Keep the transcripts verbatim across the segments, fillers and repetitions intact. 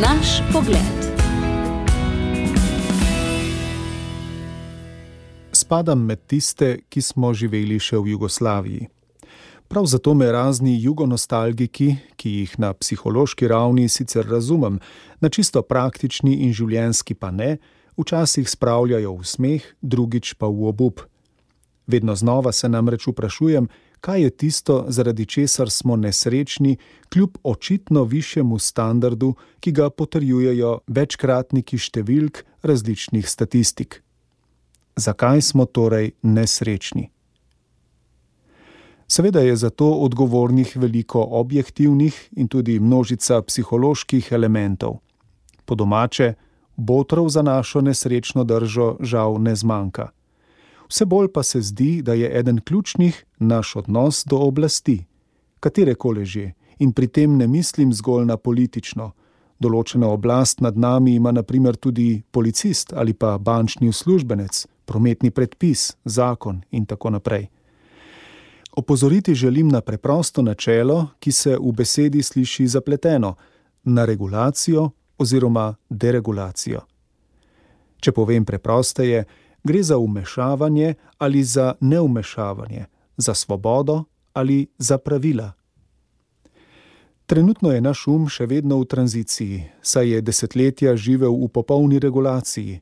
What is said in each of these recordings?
Naš pogled. Spadam med tiste, ki smo živeli še v Jugoslaviji. Prav zato me razni jugonostalgiki, ki jih na psihološki ravni sicer razumem, na čisto praktični in življenjski pa ne, včasih spravljajo v smeh, drugič pa v obup. Vedno znova se namreč vprašujem, kaj je tisto, zaradi česar smo nesrečni, kljub očitno višjemu standardu, ki ga potrjujejo večkratniki številk različnih statistik. Zakaj smo torej nesrečni? Seveda je za to odgovornih veliko objektivnih in tudi množica psiholoških elementov. Po domače, botrov za našo nesrečno držo žal ne zmanjka. Vse bolj pa se zdi, da je eden ključnih naš odnos do oblasti, katerekoli že, in pri tem ne mislim zgolj na politično. Določena oblast nad nami ima na primer tudi policist ali pa bančni uslužbenec, prometni predpis, zakon in tako naprej. Opozoriti želim na preprosto načelo, ki se v besedi sliši zapleteno, na regulacijo oziroma deregulacijo. Če povem preprosteje, gre za vmešavanje ali za neumešavanje, za svobodo ali za pravila. Trenutno je naš um še vedno v tranziciji, saj je desetletja živel v popolni regulaciji.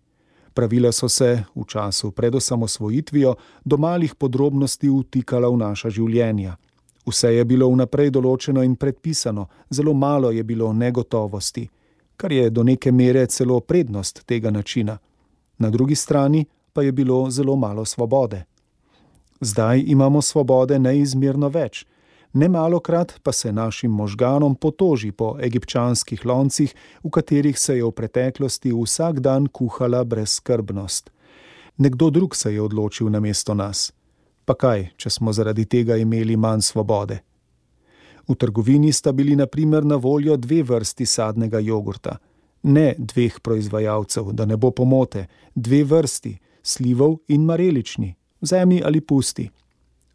Pravila so se v času pred osamosvojitvijo do malih podrobnosti vtikala v naša življenja. Vse je bilo vnaprej določeno in predpisano, zelo malo je bilo negotovosti, kar je do neke mere celo prednost tega načina. Na drugi strani pa je bilo zelo malo svobode. Zdaj imamo svobode neizmerno več, nemalokrat pa se našim možganom potoži po egipčanskih loncih, v katerih se je v preteklosti vsak dan kuhala brezskrbnost. Nekdo drug se je odločil namesto nas. Pa kaj, če smo zaradi tega imeli manj svobode? V trgovini sta bili na primer na voljo dve vrsti sadnega jogurta. Ne dveh proizvajalcev, da ne bo pomote, dve vrsti, slivov in marelični, vzemi ali pusti.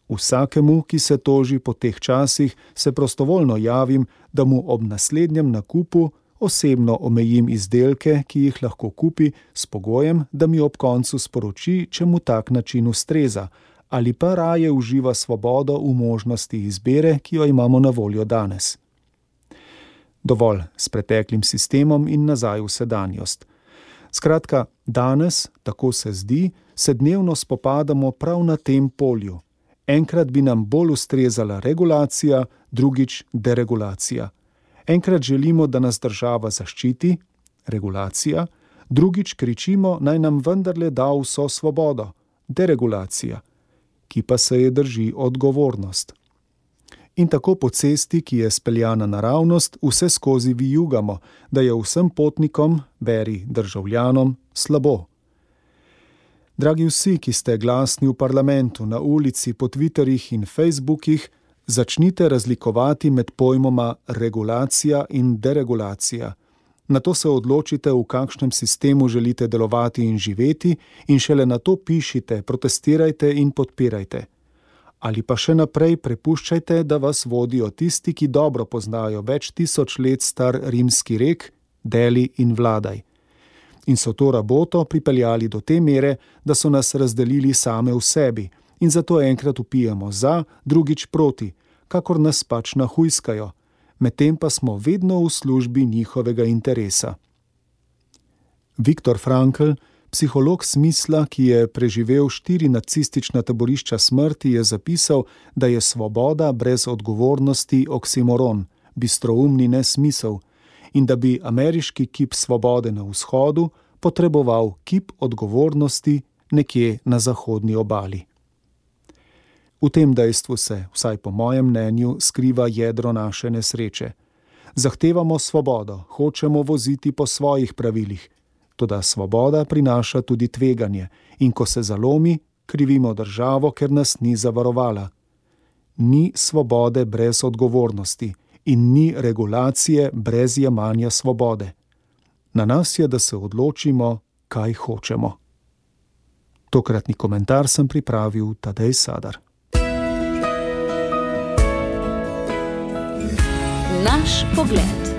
Vsakemu, ki se toži po teh časih, se prostovoljno javim, da mu ob naslednjem nakupu osebno omejim izdelke, ki jih lahko kupi, s pogojem, da mi ob koncu sporoči, če mu tak način ustreza, ali pa raje uživa svobodo v možnosti izbire, ki jo imamo na voljo danes. Dovolj s preteklim sistemom in nazaj v sedanjost. Skratka, danes, tako se zdi, se dnevno spopadamo prav na tem polju. Enkrat bi nam bolj ustrezala regulacija, drugič deregulacija. Enkrat želimo, da nas država zaščiti, regulacija, drugič kričimo, naj nam vendarle da vso svobodo, deregulacija, ki pa se je drži odgovornost. In tako po cesti, ki je speljana naravnost, vse skozi vijugamo, da je vsem potnikom, beri državljanom, slabo. Dragi vsi, ki ste glasni v parlamentu, na ulici, po Twitterjih in Facebookih, začnite razlikovati med pojmoma regulacija in deregulacija. Nato se odločite, v kakšnem sistemu želite delovati in živeti, in šele nato pišite, protestirajte in podpirajte. Ali pa še naprej prepuščajte, da vas vodijo tisti, ki dobro poznajo več tisoč let star rimski rek, deli in vladaj. In so to raboto pripeljali do te mere, da so nas razdelili same v sebi in zato enkrat vpijemo za, drugič proti, kakor nas pač nahujskajo, medtem pa smo vedno v službi njihovega interesa. Viktor Frankl, psiholog smisla, ki je preživel štiri nacistična taborišča smrti, je zapisal, da je svoboda brez odgovornosti oksimoron, bistroumni nesmisel, in da bi ameriški kip svobode na vzhodu potreboval kip odgovornosti nekje na zahodni obali. V tem dejstvu se, vsaj po mojem mnenju, skriva jedro naše nesreče. Zahtevamo svobodo, hočemo voziti po svojih pravilih, toda svoboda prinaša tudi tveganje in ko se zalomi, krivimo državo, ker nas ni zavarovala. Ni svobode brez odgovornosti in ni regulacije brez jemanja svobode. Na nas je, da se odločimo, kaj hočemo. Tokratni komentar sem pripravil Tadej Sadar. Naš pogled.